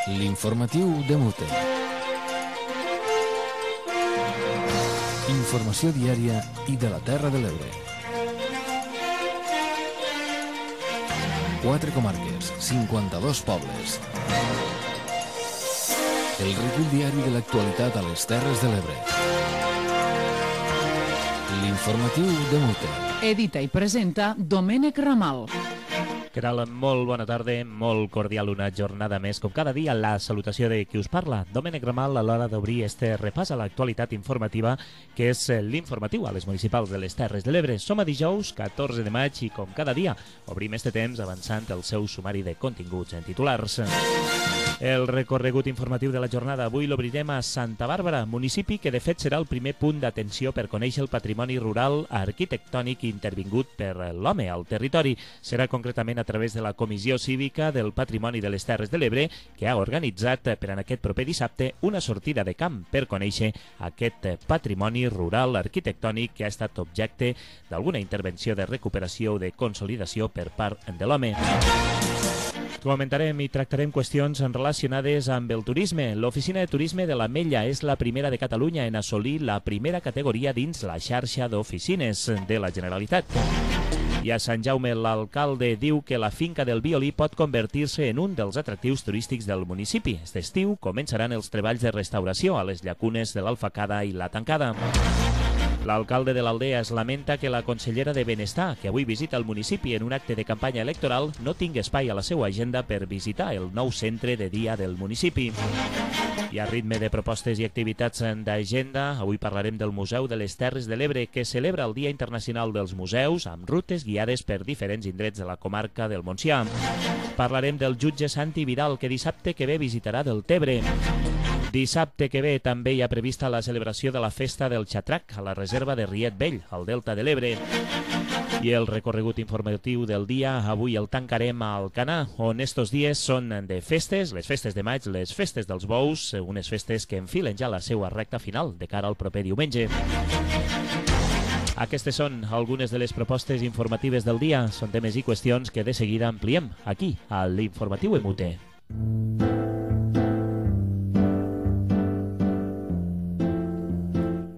L'informatiu de Mute. Informació diària i de la Terra de l'Ebre. 4 comarques, 52 pobles. El recull diari de l'actualitat a les Terres de l'Ebre. L'informatiu de Mute. Edita i presenta Domènec Ramal. Què tal? Molt bona tarda, molt cordial una jornada més. Com cada dia, la salutació de qui us parla, Domènec Ramal, a l'hora d'obrir este repàs a l'actualitat informativa, que és l'informatiu a les municipals de les Terres de l'Ebre. Som a dijous, 14 de maig, i com cada dia, obrim este temps avançant el seu sumari de continguts en titulars. El recorregut informatiu de la jornada avui l'obrirem a Santa Bàrbara, municipi que de fet serà el primer punt d'atenció per conèixer el patrimoni rural arquitectònic intervingut per l'home al territori. Serà concretament a través de la Comissió Cívica del Patrimoni de les Terres de l'Ebre, que ha organitzat per a aquest proper dissabte una sortida de camp per conèixer aquest patrimoni rural arquitectònic que ha estat objecte d'alguna intervenció de recuperació o de consolidació per part de l'home. Comentarem i tractarem qüestions relacionades amb el turisme. L'Oficina de Turisme de l'Ametlla és la primera de Catalunya en assolir la primera categoria dins la xarxa d'oficines de la Generalitat. I a Sant Jaume l'alcalde diu que la finca del Violí pot convertir-se en un dels atractius turístics del municipi. Aquest estiu començaran els treballs de restauració a les llacunes de l'Alfacada i la Tancada. L'alcalde de l'Aldea es lamenta que la consellera de Benestar, que avui visita el municipi en un acte de campanya electoral, no tingui espai a la seva agenda per visitar el nou centre de dia del municipi. I a ritme de propostes i activitats d'agenda, avui parlarem del Museu de les Terres de l'Ebre, que celebra el Dia Internacional dels Museus amb rutes guiades per diferents indrets de la comarca del Montsià. Parlarem del jutge Santi Vidal, que dissabte que ve visitarà Deltebre. Dissabte que ve també hi ha prevista la celebració de la Festa del Xatrac a la reserva de Riet Vell, al Delta de l'Ebre. I el recorregut informatiu del dia avui el tancarem a Alcanar, on estos dies són de festes, les festes de maig, les festes dels bous, unes festes que enfilen ja la seva recta final de cara al proper diumenge. Aquestes són algunes de les propostes informatives del dia. Són temes i qüestions que de seguida ampliem aquí, a l'Informatiu EMUTE.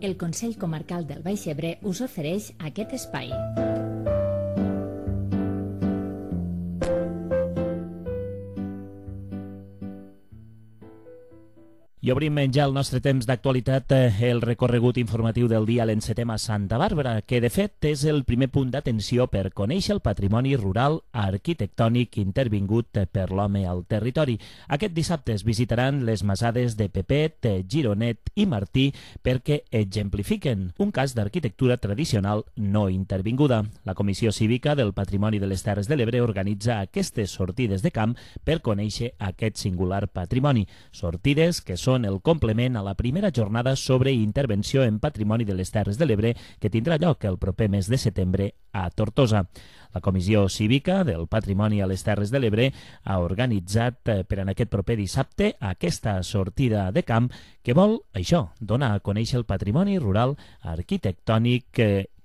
El Consell Comarcal del Baix Ebre us ofereix aquest espai. I obrim ja el nostre temps d'actualitat, el recorregut informatiu del dia l'encetem a Santa Bàrbara, que de fet és el primer punt d'atenció per conèixer el patrimoni rural arquitectònic intervingut per l'home al territori. Aquest dissabte es visitaran les masades de Pepet, Gironet i Martí perquè exemplifiquen un cas d'arquitectura tradicional no intervinguda. La Comissió Cívica del Patrimoni de les Terres de l'Ebre organitza aquestes sortides de camp per conèixer aquest singular patrimoni. Sortides que són el complement a la primera jornada sobre intervenció en patrimoni de les Terres de l'Ebre que tindrà lloc el proper mes de setembre a Tortosa. La Comissió Cívica del Patrimoni a les Terres de l'Ebre ha organitzat per en aquest proper dissabte aquesta sortida de camp que vol, això, donar a conèixer el patrimoni rural arquitectònic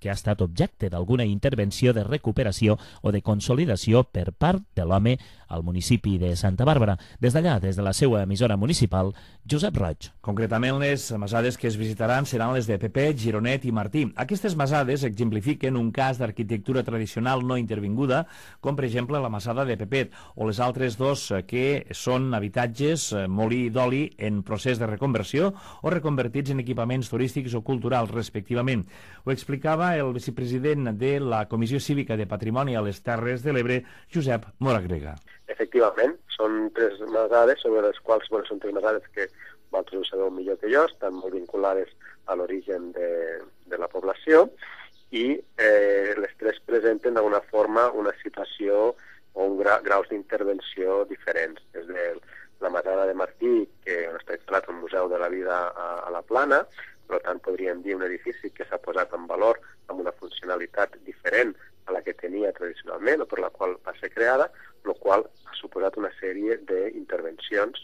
que ha estat objecte d'alguna intervenció de recuperació o de consolidació per part de l'home al municipi de Santa Bàrbara. Des d'allà, des de la seva emissora municipal, Josep Roig. Concretament, les masades que es visitaran seran les de Pepet, Gironet i Martí. Aquestes masades exemplifiquen un cas d'arquitectura tradicional no intervinguda, com per exemple la masada de Pepet, o les altres dos que són habitatges molí d'oli en procés de reconversió o reconvertits en equipaments turístics o culturals, respectivament. Ho explicava el vicepresident de la Comissió Cívica de Patrimoni a les Terres de l'Ebre, Josep Moragrega. Efectivament, són tres masades sobre les quals, són tres masades que vosaltres ho sabeu millor que jo, estan molt vinculades a l'origen de la població i les tres presenten d'alguna forma una situació o un graus d'intervenció diferents. Des de la masada de Martí, que està instal·lat al Museu de la Vida a la Plana, per tant podríem dir un edifici que s'ha posat en valor amb una funcionalitat diferent a la que tenia tradicionalment o per la qual va ser creada, el qual ha suposat una sèrie d'intervencions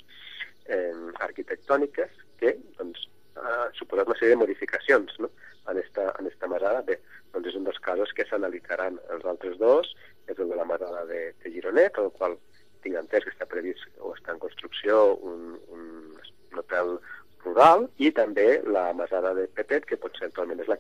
arquitectòniques que ha suposat una sèrie de modificacions, no? en esta masada. Bé, doncs és un dels casos que s'analitzaran. Els altres dos és el de la masada de Gironet, el qual tinc entès que està previst o està en construcció construcció un hotel rural, i també la masada de Pepet, que potser actualment és la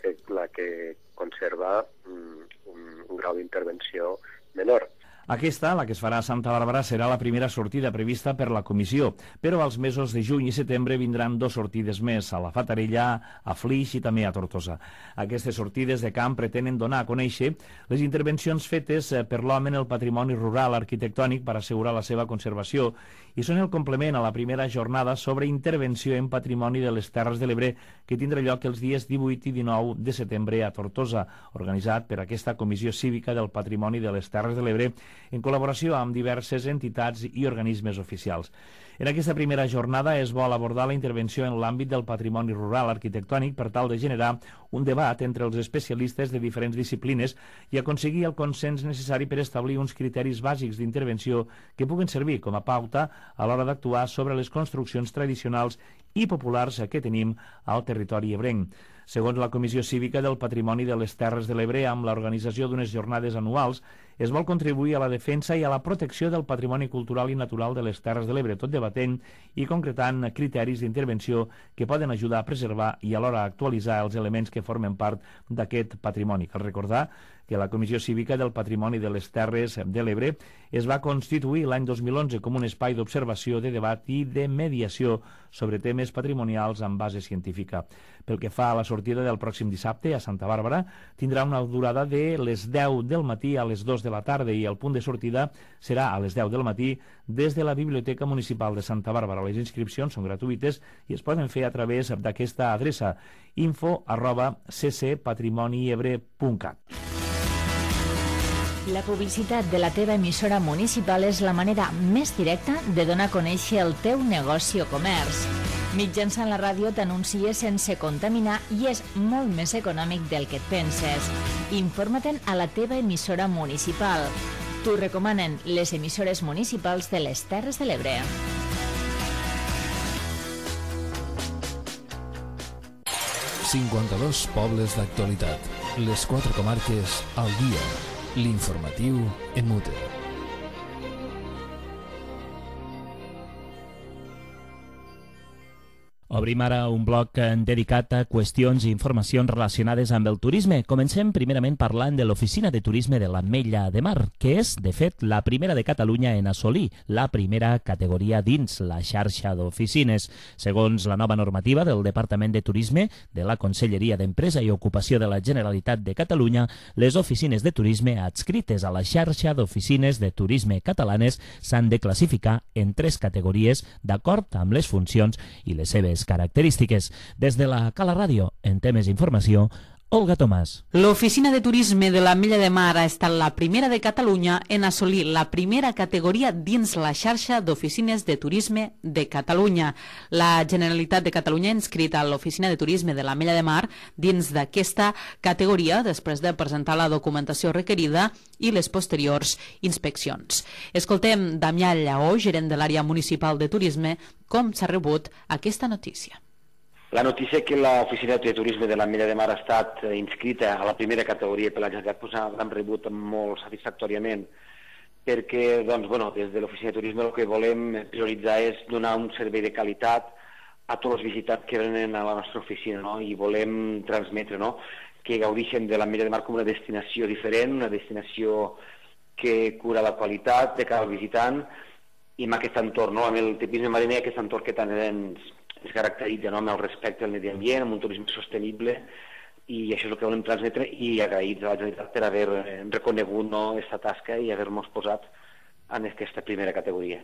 que conserva un grau d'intervenció menor. Aquesta, la que es farà a Santa Bàrbara, serà la primera sortida prevista per la comissió, però als mesos de juny i setembre vindran 2 sortides més, a la Fatarella, a Flix i també a Tortosa. Aquestes sortides de camp pretenen donar a conèixer les intervencions fetes per l'home en el patrimoni rural arquitectònic per assegurar la seva conservació, i són el complement a la primera jornada sobre intervenció en patrimoni de les Terres de l'Ebre, que tindrà lloc els dies 18 i 19 de setembre a Tortosa, organitzat per aquesta Comissió Cívica del Patrimoni de les Terres de l'Ebre, en col·laboració amb diverses entitats i organismes oficials. En aquesta primera jornada es vol abordar la intervenció en l'àmbit del patrimoni rural arquitectònic per tal de generar un debat entre els especialistes de diferents disciplines i aconseguir el consens necessari per establir uns criteris bàsics d'intervenció que puguen servir com a pauta a l'hora d'actuar sobre les construccions tradicionals i populars que tenim al territori ebrenc. Segons la Comissió Cívica del Patrimoni de les Terres de l'Ebre, amb l'organització d'unes jornades anuals, es vol contribuir a la defensa i a la protecció del patrimoni cultural i natural de les Terres de l'Ebre, tot debatent i concretant criteris d'intervenció que poden ajudar a preservar i alhora actualitzar els elements que formen part d'aquest patrimoni. Cal recordar que la Comissió Cívica del Patrimoni de les Terres de l'Ebre es va constituir l'any 2011 com un espai d'observació, de debat i de mediació sobre temes patrimonials amb base científica. Pel que fa a la sortida del pròxim dissabte a Santa Bàrbara, tindrà una durada de les 10 del matí a les 2 de la tarda i el punt de sortida serà a les 10 del matí des de la Biblioteca Municipal de Santa Bàrbara. Les inscripcions són gratuïtes i es poden fer a través d'aquesta adreça info@ccpatrimoniebre.cat. La publicitat de la teva emissora municipal és la manera més directa de donar a conèixer el teu negoci o comerç. Mitjançant la ràdio t'anuncies sense contaminar i és molt més econòmic del que et penses. Informa-te'n a la teva emissora municipal. T'ho recomanen les emissores municipals de les Terres de l'Ebre. ...52 pobles d'actualitat. Les 4 comarques al dia. L'informatiu en Mute. Obrim ara un bloc dedicat a qüestions i informacions relacionades amb el turisme. Comencem primerament parlant de l'Oficina de Turisme de l'Ametlla de Mar, que és, de fet, la primera de Catalunya en assolir la primera categoria dins la xarxa d'oficines. Segons la nova normativa del Departament de Turisme de la Conselleria d'Empresa i Ocupació de la Generalitat de Catalunya, les oficines de turisme adscrites a la xarxa d'oficines de turisme catalanes s'han de classificar en 3 categories d'acord amb les funcions i les seves característiques. Des de la Cala Ràdio, en temes d'informació, Olga Tomàs. L'Oficina de Turisme de l'Ametlla de Mar ha estat la primera de Catalunya en assolir la primera categoria dins la xarxa d'oficines de turisme de Catalunya. La Generalitat de Catalunya ha inscrit a l'Oficina de Turisme de l'Ametlla de Mar dins d'aquesta categoria després de presentar la documentació requerida i les posteriors inspeccions. Escoltem Damià Lleó, gerent de l'àrea municipal de turisme, com s'ha rebut aquesta notícia. La notícia que l'Oficina de Turisme de l'Ametlla de Mar ha estat inscrita a la primera categoria per la Generalitat l'hem rebut molt satisfactòriament perquè des de l'Oficina de Turisme el que volem prioritzar és donar un servei de qualitat a tots els visitants que venen a la nostra oficina, no? I volem transmetre, no?, que gaudeixen de l'Ametlla de Mar com una destinació diferent, una destinació que cura la qualitat de cada visitant i amb aquest entorn, no?, amb el tipisme mariner, aquest entorn que tant es caracteritza, no?, amb el respecte al medi ambient, amb un turisme sostenible, i això és el que volem transmetre, i agraïts a la Generalitat per haver reconegut aquesta tasca i haver-nos posat en aquesta primera categoria.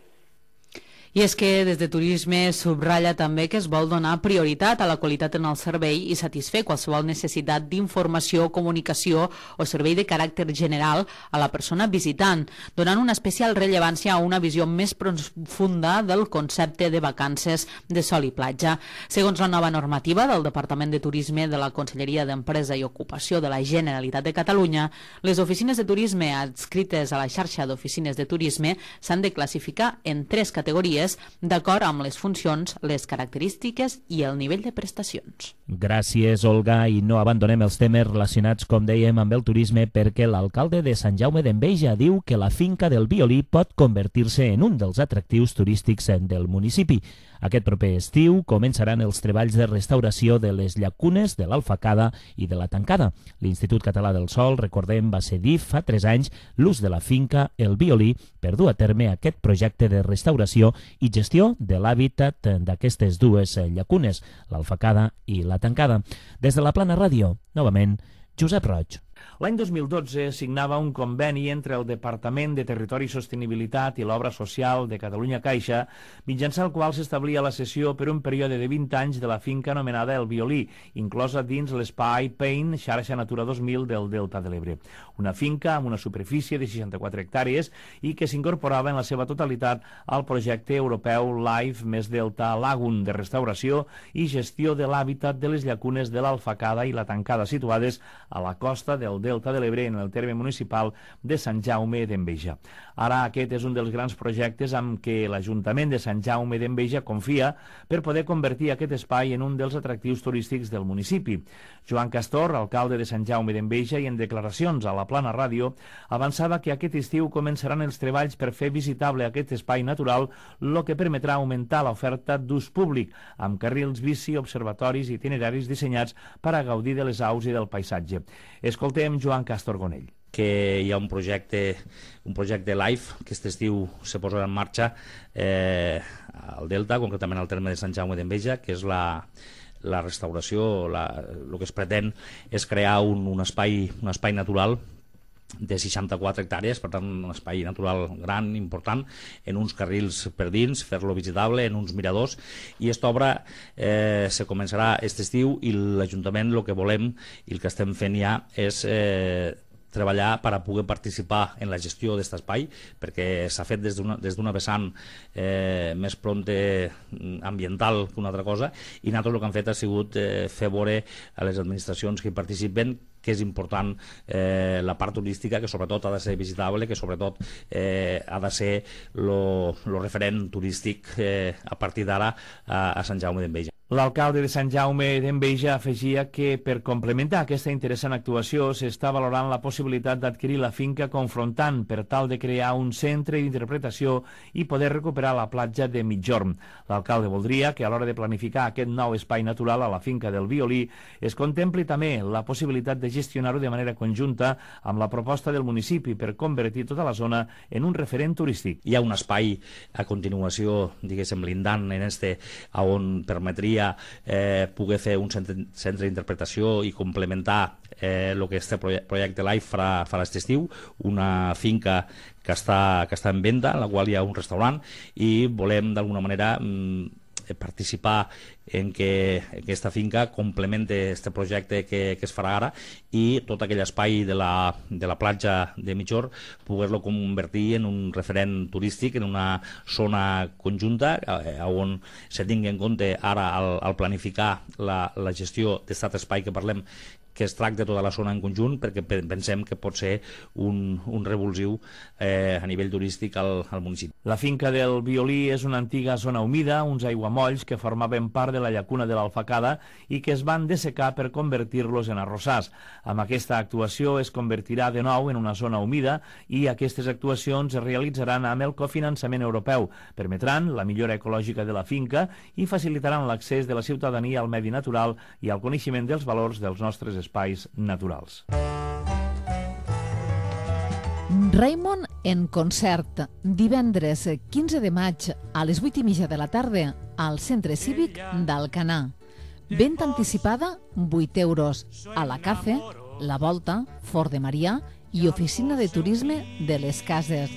I és que des de Turisme subratlla també que es vol donar prioritat a la qualitat en el servei i satisfer qualsevol necessitat d'informació, comunicació o servei de caràcter general a la persona visitant, donant una especial rellevància a una visió més profunda del concepte de vacances de sol i platja. Segons la nova normativa del Departament de Turisme de la Conselleria d'Empresa i Ocupació de la Generalitat de Catalunya, les oficines de turisme adscrites a la xarxa d'oficines de turisme s'han de classificar en 3 categories categories d'acord amb les funcions, les característiques i el nivell de prestacions. Gràcies, Olga, i no abandonem els temes relacionats, com dèiem, amb el turisme, perquè l'alcalde de Sant Jaume d'Enveja diu que la finca del Violí pot convertir-se en un dels atractius turístics del municipi. Aquest proper estiu començaran els treballs de restauració de les llacunes de l'Alfacada i de la Tancada. L'Institut Català del Sòl, recordem, va cedir fa 3 anys l'ús de la finca El Violí per dur a terme aquest projecte de restauració i gestió de l'hàbitat d'aquestes dues llacunes, l'Alfacada i la Tancada. Des de la Plana Ràdio, novament, Josep Roig. L'any 2012 signava un conveni entre el Departament de Territori i Sostenibilitat i l'Obra Social de Catalunya Caixa, mitjançant el qual s'establia la cessió per un període de 20 anys de la finca anomenada El Violí, inclosa dins l'espai PAIN, xarxa Natura 2000 del Delta de l'Ebre. Una finca amb una superfície de 64 hectàrees i que s'incorporava en la seva totalitat al projecte europeu Life més Delta Lagoon de restauració i gestió de l'hàbitat de les llacunes de l'Alfacada i la Tancada, situades a la costa del Delta de l'Ebre en el terme municipal de Sant Jaume d'Enveja. Ara aquest és un dels grans projectes amb què l'Ajuntament de Sant Jaume d'Enveja confia per poder convertir aquest espai en un dels atractius turístics del municipi. Joan Castor, alcalde de Sant Jaume d'Enveja, i en declaracions a la Plana Ràdio, avançava que aquest estiu començaran els treballs per fer visitable aquest espai natural, el que permetrà augmentar l'oferta d'ús públic, amb carrils bici, observatoris i itineraris dissenyats per a gaudir de les aus i del paisatge. Escoltem Joan Castor Gonell. Que hi ha un projecte LIFE que aquest estiu se posarà en marxa al Delta, concretament al terme de Sant Jaume d'Enveja, que és la restauració. El que es pretén és crear un espai natural de 64 hectàrees, per tant un espai natural gran, important, en uns carrils per dins, fer-lo visitable, en uns miradors, i aquesta obra se començarà aquest estiu i l'Ajuntament el que volem i el que estem fent ja és treballar per a poder participar en la gestió d'aquest espai, perquè s'ha fet des d'una vessant més prompte ambiental que una altra cosa, i nosaltres el que hem fet ha sigut fer veure a les administracions que hi participen que és important la part turística, que sobretot ha de ser visitable, que sobretot ha de ser el referent turístic a partir d'ara a Sant Jaume d'Enveja. L'alcalde de Sant Jaume d'Enveja afegia que per complementar aquesta interessant actuació s'està valorant la possibilitat d'adquirir la finca confrontant per tal de crear un centre d'interpretació i poder recuperar la platja de Migjorn. L'alcalde voldria que a l'hora de planificar aquest nou espai natural a la finca del Violí es contempli també la possibilitat de gestionar-ho de manera conjunta amb la proposta del municipi per convertir tota la zona en un referent turístic. Hi ha un espai a continuació, diguéssim, lindant en este, on permetria poder fer un centre d'interpretació i complementar el que este projecte LIFE farà aquest estiu, una finca que està en venda, en la qual hi ha un restaurant, i volem d'alguna manera participar en que aquesta finca complemente aquest projecte que es farà ara, i tot aquell espai de la platja de Migjorn poder-lo convertir en un referent turístic, en una zona conjunta on se tingui en compte ara al planificar la gestió d'aquest espai que parlem, que es tracta tota la zona en conjunt, perquè pensem que pot ser un revulsiu a nivell turístic al municipi. La finca del Violí és una antiga zona humida, uns aiguamolls que formaven part de la llacuna de l'Alfacada i que es van dessecar per convertir-los en arrossars. Amb aquesta actuació es convertirà de nou en una zona humida i aquestes actuacions es realitzaran amb el cofinançament europeu. Permetran la millora ecològica de la finca i facilitaran l'accés de la ciutadania al medi natural i al coneixement dels valors dels nostres espais naturals. Raimon en concert, divendres 15 de maig a les 8:30 de la tarda al Centre Cívic d'Alcanar. Venda anticipada, 8 euros. A la Cafe, La Volta, Fort de Marià i Oficina de Turisme de les Cases.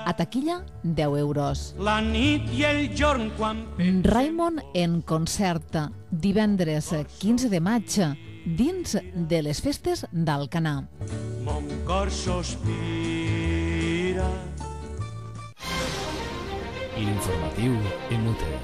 A taquilla, 10 euros. La nit i el jorn quan... Raimon en concert, divendres 15 de maig, dins de les festes d'Alcanar. Mon cor sospira. L'informatiu en UTE.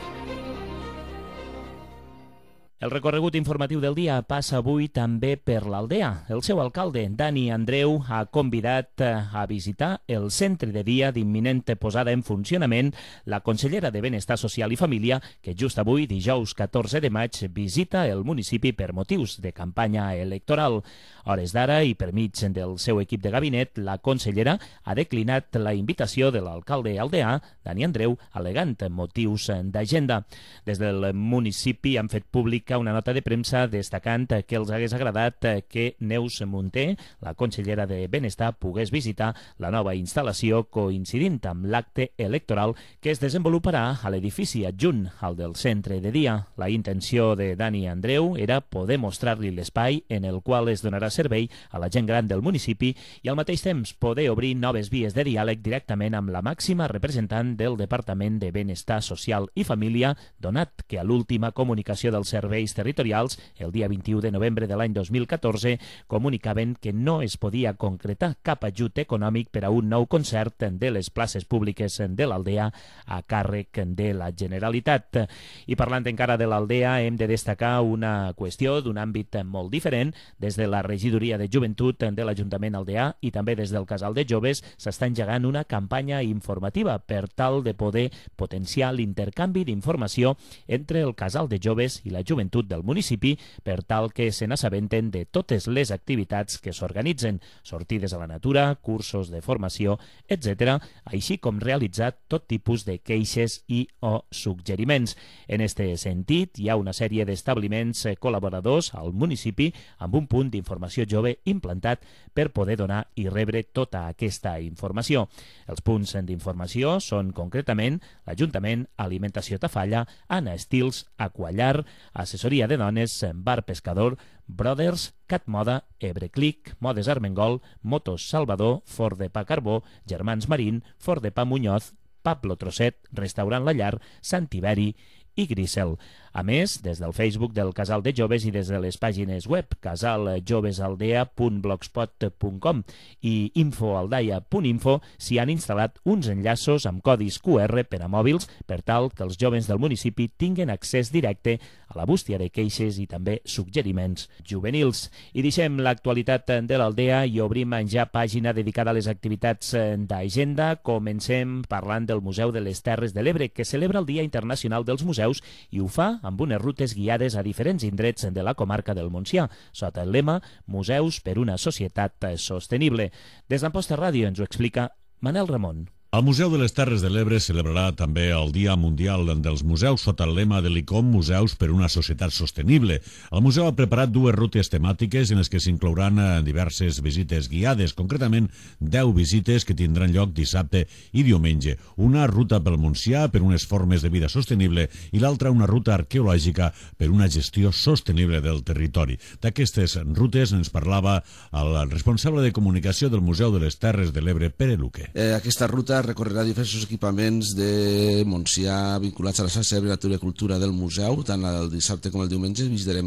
El recorregut informatiu del dia passa avui també per l'Aldea. El seu alcalde, Dani Andreu, ha convidat a visitar el centre de dia d'imminent posada en funcionament la consellera de Benestar Social i Família, que just avui, dijous 14 de maig, visita el municipi per motius de campanya electoral. A hores d'ara i per mig del seu equip de gabinet, la consellera ha declinat la invitació de l'alcalde aldeà, Dani Andreu, al·legant motius d'agenda. Des del municipi han fet pública una nota de premsa destacant que els hagués agradat que Neus Munté, la consellera de Benestar, pogués visitar la nova instal·lació coincidint amb l'acte electoral que es desenvoluparà a l'edifici adjunt al del centre de dia. La intenció de Dani Andreu era poder mostrar-li l'espai en el qual es donarà servei a la gent gran del municipi i al mateix temps poder obrir noves vies de diàleg directament amb la màxima representant del Departament de Benestar Social i Família, donat que a l'última comunicació dels serveis territorials, el dia 21 de novembre de l'any 2014, comunicaven que no es podia concretar cap ajut econòmic per a un nou concert de les places públiques de l'Aldea a càrrec de la Generalitat. I parlant encara de l'Aldea, hem de destacar una qüestió d'un àmbit molt diferent. Des de la Regidoria de Joventut de l'Ajuntament aldeà i també des del Casal de Joves s'està engegant una campanya informativa per tal de poder potenciar l'intercanvi d'informació entre el Casal de Joves i la joventut del municipi per tal que se n'assabenten de totes les activitats que s'organitzen, sortides a la natura, cursos de formació, etc., així com realitzar tot tipus de queixes i o suggeriments. En este sentit, hi ha una sèrie d'establiments col·laboradors al municipi amb un punt d'informació jove implantat per poder donar i rebre tota aquesta informació. Els punts d'informació són concretament l'Ajuntament, Alimentació Tafalla, Anna Estils, Aquallar, Assessoria de Dones, Bar Pescador, Brothers, Cat Moda, Ebreclic, Modes Armengol, Motos Salvador, Ford de Pa Carbó, Germans Marín, Ford de Pa Muñoz, Pablo Trosset, Restaurant La Llar, Sant Tiberi i Grisel. A més, des del Facebook del Casal de Joves i des de les pàgines web casaljovesaldea.blogspot.com i infoaldaia.info s'hi han instal·lat uns enllaços amb codis QR per a mòbils per tal que els joves del municipi tinguin accés directe a la bústia de queixes i també suggeriments juvenils. I deixem l'actualitat de l'Aldea i obrim ja pàgina dedicada a les activitats d'agenda. Comencem parlant del Museu de les Terres de l'Ebre, que celebra el Dia Internacional dels Museus i ho fa amb unes rutes guiades a diferents indrets de la comarca del Montsià, sota el lema Museus per una societat sostenible. Des d'Amposta Ràdio ens ho explica Manel Ramon. El Museu de les Terres de l'Ebre celebrarà també el Dia Mundial dels Museus sota el lema de l'ICOM Museus per una societat sostenible. El museu ha preparat dues rutes temàtiques en les que s'inclouran diverses visites guiades, concretament 10 visites que tindran lloc dissabte i diumenge. Una ruta pel Montsià per unes formes de vida sostenible i l'altra una ruta arqueològica per una gestió sostenible del territori. D'aquestes rutes ens parlava el responsable de comunicació del Museu de les Terres de l'Ebre, Pere Luque. Aquesta ruta recorrerà diversos equipaments de Montsià vinculats a la xarxa de natura i cultura del museu, tant el dissabte com el diumenge. Visitarem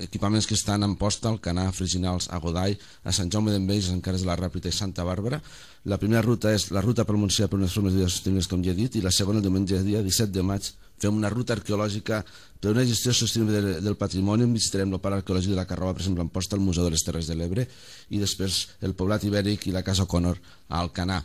equipaments que estan en Amposta, Alcanar, Freginals, a Godall, a Sant Jaume d'Enveja, Sant Carles de la Ràpita i Santa Bàrbara. La primera ruta és la ruta pel Montsià per unes formes de vida sostenibles, com ja he dit, i la segona el diumenge, dia 17 de maig, fem una ruta arqueològica per una gestió sostenible del patrimoni. Visitarem el parc arqueològic de la Carroba, per exemple, a Amposta, el Museu de les Terres de l'Ebre, i després el Poblat Ibèric i la Casa O'Connor a Alcanar.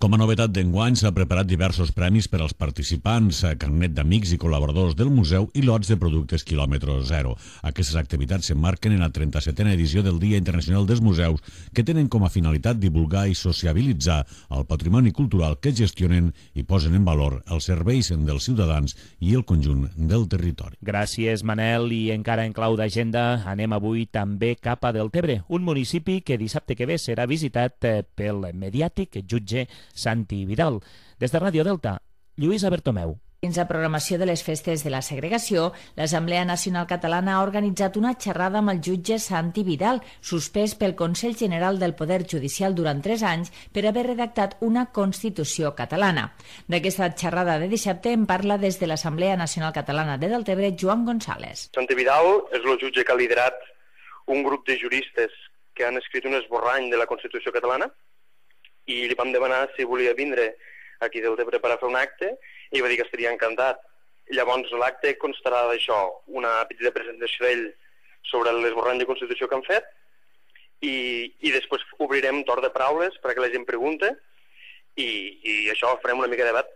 Com a novetat d'enguany s'ha preparat diversos premis per als participants, carnet d'amics i col·laboradors del museu i lots de productes quilòmetre zero. Aquestes activitats s'emmarquen en la 37a edició del Dia Internacional dels Museus, que tenen com a finalitat divulgar i sociabilitzar el patrimoni cultural que gestionen i posen en valor els serveis dels ciutadans i el conjunt del territori. Gràcies, Manel. I encara en clau d'agenda anem avui també cap a Deltebre, un municipi que dissabte que ve serà visitat pel mediàtic jutge Santi Vidal. Des de Ràdio Delta, Lluïsa Bertomeu. Dins la programació de les festes de la segregació, l'Assemblea Nacional Catalana ha organitzat una xerrada amb el jutge Santi Vidal, suspès pel Consell General del Poder Judicial durant 3 anys per haver redactat una Constitució catalana. D'aquesta xerrada de dissabte en parla des de l'Assemblea Nacional Catalana de Deltebre, Joan González. Santi Vidal és el jutge que ha liderat un grup de juristes que han escrit un esborrany de la Constitució catalana i li vam demanar si volia vindre aquí a Deltebre per a fer un acte i va dir que estaria encantat. Llavors l'acte constarà d'això, una petita presentació d'ell sobre l'esborrany de Constitució que han fet i després obrirem torn de paraules perquè la gent pregunte i això, farem una mica de debat.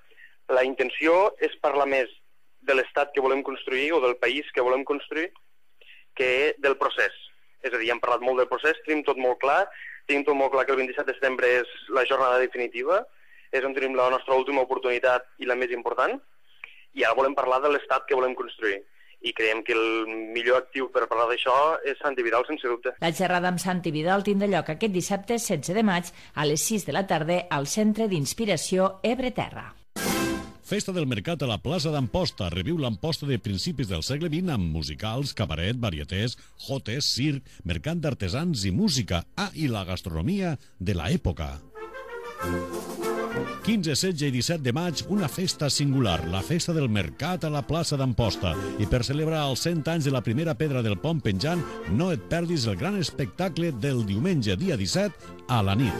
La intenció és parlar més de l'estat que volem construir o del país que volem construir que del procés. És a dir, hem parlat molt del procés, tenim tot molt clar que el 27 de setembre és la jornada definitiva, és on tenim la nostra última oportunitat i la més important, i ara volem parlar de l'estat que volem construir. I creiem que el millor actiu per parlar d'això és Santi Vidal, sense dubte. La xerrada amb Santi Vidal tindrà lloc aquest dissabte 16 de maig a les 6 de la tarda al Centre d'Inspiració Ebre Terra. Festa del Mercat a la plaça d'Amposta. Reviu l'Amposta de principis del segle XX amb musicals, cabaret, varietés, jotes, circ, mercat d'artesans i música. I la gastronomia de l'època. 15, 16 i 17 de maig, una festa singular, la Festa del Mercat a la plaça d'Amposta. I per celebrar els 100 anys de la primera pedra del pont penjant, no et perdis el gran espectacle del diumenge, dia 17, a la nit.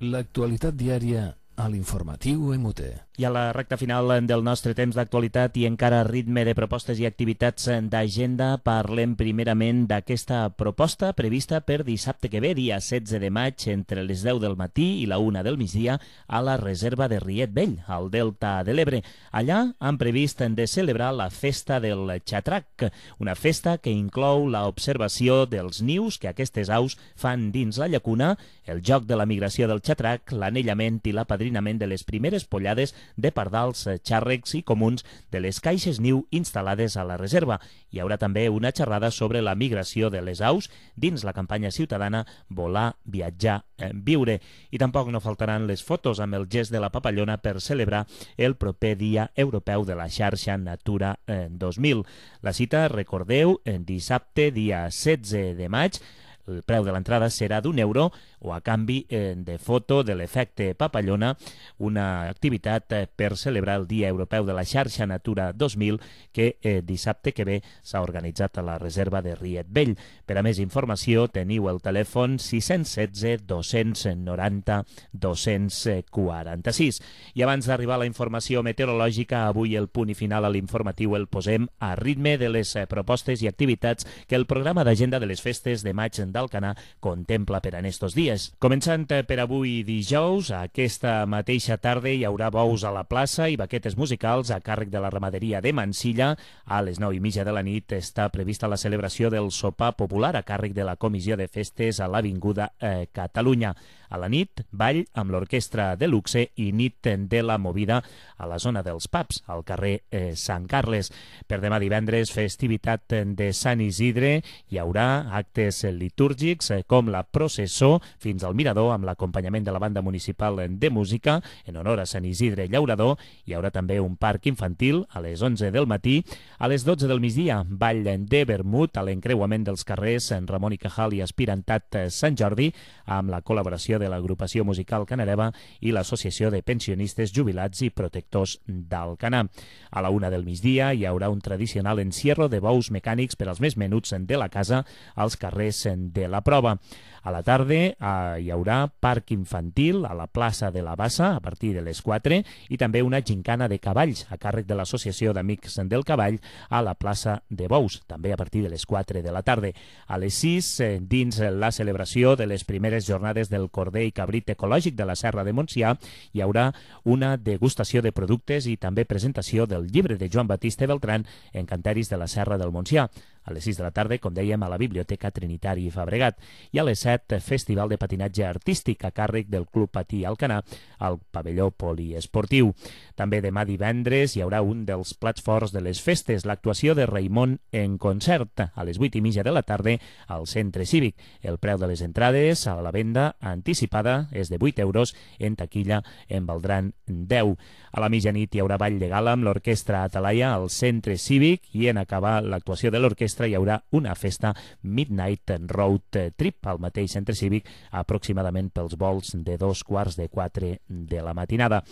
L'actualitat diària a l'informatiu MUT. I a la recta final del nostre temps d'actualitat i encara a ritme de propostes i activitats d'agenda, parlem primerament d'aquesta proposta prevista per dissabte que ve, dia 16 de maig, entre les 10 del matí i la 1 del migdia, a la reserva de Riet Vell, al Delta de l'Ebre. Allà han previst de celebrar la Festa del Xatrac, una festa que inclou l'observació dels nius que aquestes aus fan dins la llacuna, el joc de la migració del xatrac, l'anellament i l'apadrinament de les primeres pollades de pardals, xàrrecs i comuns de les caixes niu instal·lades a la reserva. Hi haurà també una xerrada sobre la migració de les aus dins la campanya ciutadana Volar, Viatjar, Viure. I tampoc no faltaran les fotos amb el gest de la papallona per celebrar el proper Dia Europeu de la Xarxa Natura 2000. La cita, recordeu, dissabte, dia 16 de maig. El preu de l'entrada serà d'€1 o a canvi de foto de l'efecte papallona, una activitat per celebrar el Dia Europeu de la Xarxa Natura 2000 que dissabte que ve s'ha organitzat a la reserva de Riet Vell. Per a més informació teniu el telèfon 616 290 246. I abans d'arribar a la informació meteorològica, avui el punt i final a l'informatiu el posem a ritme de les propostes i activitats que el programa d'agenda de les festes de maig d'Alcanar contempla per en estos dies. Començant per avui dijous, aquesta mateixa tarda hi haurà bous a la plaça i baquetes musicals a càrrec de la ramaderia de Mansilla. A les 9:30 de la nit està prevista la celebració del sopar popular a càrrec de la Comissió de Festes a l'Avinguda Catalunya. A la nit, ball amb l'orquestra de luxe i nit de la movida a la zona dels pubs, al carrer Sant Carles. Per demà divendres, festivitat de Sant Isidre. Hi haurà actes litúrgics com la processó fins al Mirador amb l'acompanyament de la banda municipal de música en honor a Sant Isidre Llaurador. Hi haurà també un parc infantil a les 11 del matí. A les 12 del migdia, ball de vermut a l'encreuament dels carrers Ramon i Cajal i Aspirantat Sant Jordi amb la col·laboració de l'agrupació musical Canareva i l'Associació de Pensionistes Jubilats i Protectors d'Alcanar. A la 1 del migdia hi haurà un tradicional encierro de bous mecànics per als més menuts de la casa als carrers de la Prova. A la tarda hi haurà parc infantil a la plaça de la Bassa a partir de les 4 i també una gincana de cavalls a càrrec de l'Associació d'Amics del Cavall a la plaça de Bous, també a partir de les 4 de la tarda. A les 6, dins la celebració de les primeres jornades del corder i cabrit ecològic de la Serra de Montsià, hi haurà una degustació de productes i també presentació del llibre de Joan Batista Beltran, Encanteris de la Serra del Montsià. A les 6 de la tarda, com dèiem, a la Biblioteca Trinitari Fabregat. I a les 7, Festival de Patinatge Artístic a càrrec del Club Patí Alcanar al pavelló poliesportiu. També demà divendres hi haurà un dels plats forts de les festes, l'actuació de Raimon en concert a les 8:30 de la tarda al Centre Cívic. El preu de les entrades a la venda anticipada és de €8, en taquilla en valdran 10. A la mitjanit hi haurà ball de gala amb l'orquestra Atalaia al Centre Cívic i en acabar l'actuació de l'orquestra capvespre hi haurà una festa Midnight Road Trip al mateix centre cívic, aproximadament pels vols de 3:15 de la matinada.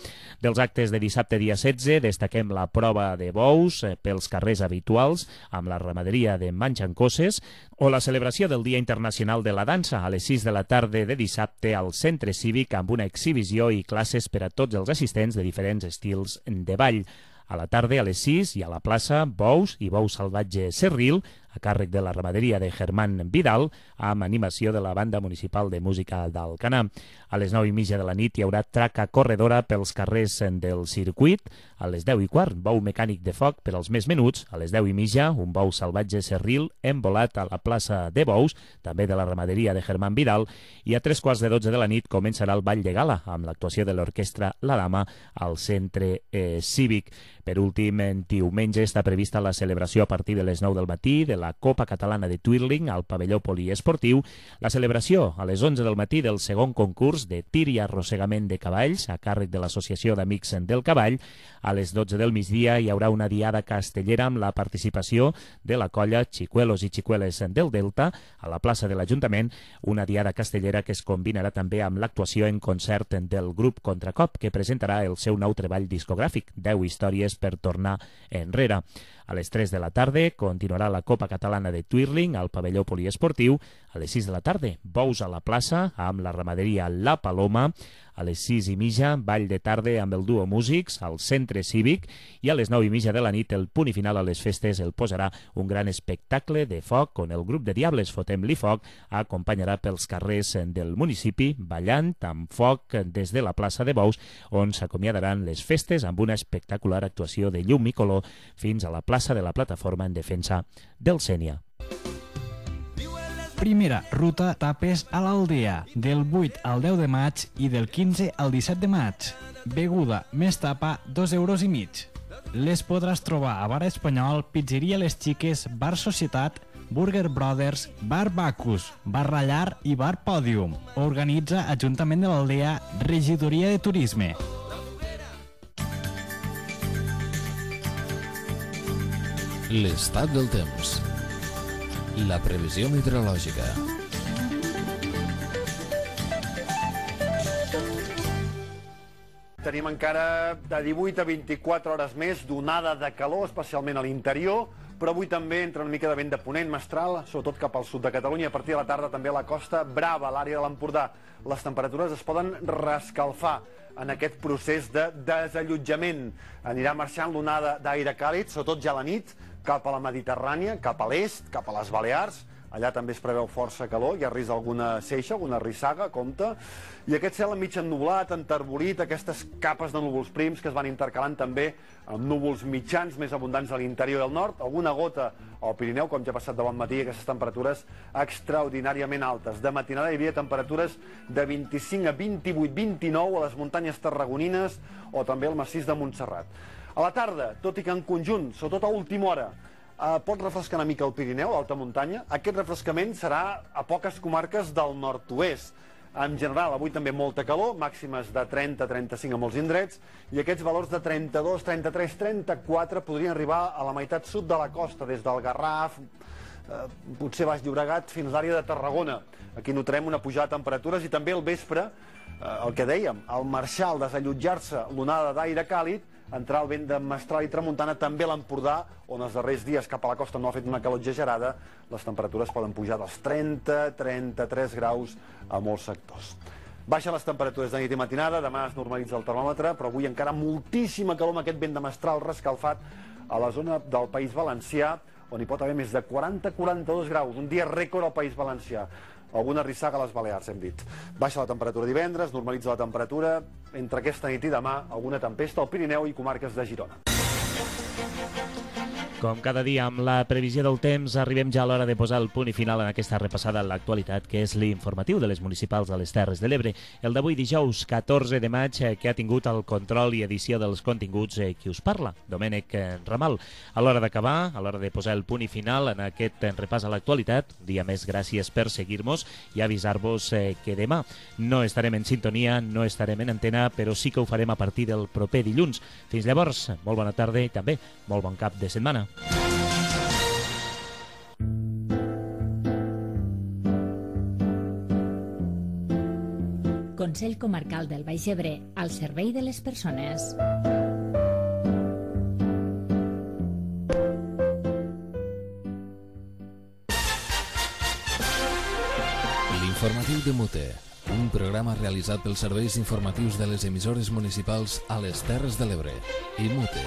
Dels actes de dissabte dia 16 destaquem la prova de bous pels carrers habituals amb la ramaderia de Manxancoses o la celebració del Dia Internacional de la Dansa a les 6 de la tarda de dissabte al centre cívic amb una exhibició i classes per a tots els assistents de diferents estils de ball. A la tarda, a les 6, hi ha a la plaça bous i bou salvatge Serril, a càrrec de la ramaderia de Germán Vidal, amb animació de la Banda Municipal de Música d'Alcanar. A les 9:30 de la nit hi haurà traca corredora pels carrers del circuit. A les 10:15, bou mecànic de foc per als més menuts. A les 10:30, un bou salvatge Serril embolat a la plaça de bous, també de la ramaderia de Germán Vidal. I a 3:15 de la nit començarà el ball de gala, amb l'actuació de l'orquestra La Dama al centre cívic. Per últim, diumenge està prevista la celebració a partir de les 9 del matí de la Copa Catalana de Twirling al pavelló poliesportiu, la celebració a les 11 del matí del segon concurs de tir i arrossegament de cavalls a càrrec de l'Associació d'Amics del Cavall. A les 12 del migdia hi haurà una diada castellera amb la participació de la colla Xicuelos i Xicueles del Delta a la plaça de l'Ajuntament, una diada castellera que es combinarà també amb l'actuació en concert del grup Contracop, que presentarà el seu nou treball discogràfic, 10 històries per tornar enrere. A les 3 de la tarda continuarà la Copa Catalana de Twirling al pavelló poliesportiu. A les 6 de la tarda, bous a la plaça amb la ramaderia La Paloma. A les 6:30, ball de tarda amb el duo Músics al centre cívic. I a les 9:30 de la nit, el punt i final a les festes el posarà un gran espectacle de foc on el grup de Diables Fotem-li Foc acompanyarà pels carrers del municipi ballant amb foc des de la plaça de Bous, on s'acomiadaran les festes amb una espectacular actuació de llum i color fins a la plaça de la Plataforma en defensa del Sénia. Primera ruta tapes a l'Aldea, del 8 al 10 de maig i del 15 al 17 de maig. Beguda més tapa, 2,5 €. Les podràs trobar a Bar Espanyol, Pizzeria Les Xiques, Bar Societat, Burger Brothers, Bar Bacus, Bar Rallar i Bar Pòdium. Organitza Ajuntament de l'Aldea, Regidoria de Turisme. L'estat del temps. La previsió meteorològica. Tenim encara de 18 a 24 hores més d'onada de calor, especialment a l'interior, però avui també entra una mica de vent de ponent mestral, sobretot cap al sud de Catalunya. A partir de la tarda també a la Costa Brava, a l'àrea de l'Empordà. Les temperatures es poden rescalfar en aquest procés de desallotjament. Anirà marxant l'onada d'aire càlid, sobretot ja a la nit, cap a la Mediterrània, cap a l'est, cap a les Balears. Allà també es preveu força calor, hi ha risc d'alguna ceixa, alguna rissaga, compte. I aquest cel mig ennublat, enterbolit, aquestes capes de núvols prims que es van intercalant també amb núvols mitjans més abundants a l'interior del nord, alguna gota al Pirineu, com ja ha passat de bon matí, aquestes temperatures extraordinàriament altes. De matinada hi havia temperatures de 25 a 28, 29 a les muntanyes tarragonines o també al massís de Montserrat. A la tarda, tot i que en conjunt, sobretot a última hora, pot refrescar una mica el Pirineu, l'alta muntanya. Aquest refrescament serà a poques comarques del nord-oest. En general, avui també molta calor, màximes de 30-35 a molts indrets, i aquests valors de 32, 33, 34 podrien arribar a la meitat sud de la costa, des del Garraf, potser Baix Llobregat, fins a l'àrea de Tarragona. Aquí notarem una pujada de temperatures i també al vespre, el que dèiem, al marxar, al desallotjar-se l'onada d'aire càlid, entrar el vent de mestral i tramuntana, també a l'Empordà, on els darrers dies cap a la costa no ha fet una calor exagerada, les temperatures poden pujar dels 30-33 graus a molts sectors. Baixen les temperatures de nit i matinada, demà es normalitza el termòmetre, però avui encara moltíssima calor amb aquest vent de mestral rescalfat a la zona del País Valencià, on hi pot haver més de 40-42 graus, un dia rècord al País Valencià. Alguna rissaga a les Balears, hem dit. Baixa la temperatura divendres, normalitza la temperatura. Entre aquesta nit i demà, alguna tempesta al Pirineu i comarques de Girona. Com cada dia, amb la previsió del temps, arribem ja a l'hora de posar el punt i final en aquesta repassada a l'actualitat, que és l'informatiu de les municipals de les Terres de l'Ebre. El d'avui dijous, 14 de maig, que ha tingut el control i edició dels continguts qui us parla, Domènec Ramal. A l'hora d'acabar, a l'hora de posar el punt i final en aquest repàs a l'actualitat, un dia més gràcies per seguir-nos i avisar-vos que demà no estarem en sintonia, no estarem en antena, però sí que ho farem a partir del proper dilluns. Fins llavors, molt bona tarda i també molt bon cap de setmana. Consell Comarcal del Baix Ebre, al servei de les persones. L'informatiu de Mute, un programa realitzat pels serveis informatius de les emissores municipals a les Terres de l'Ebre i Mute.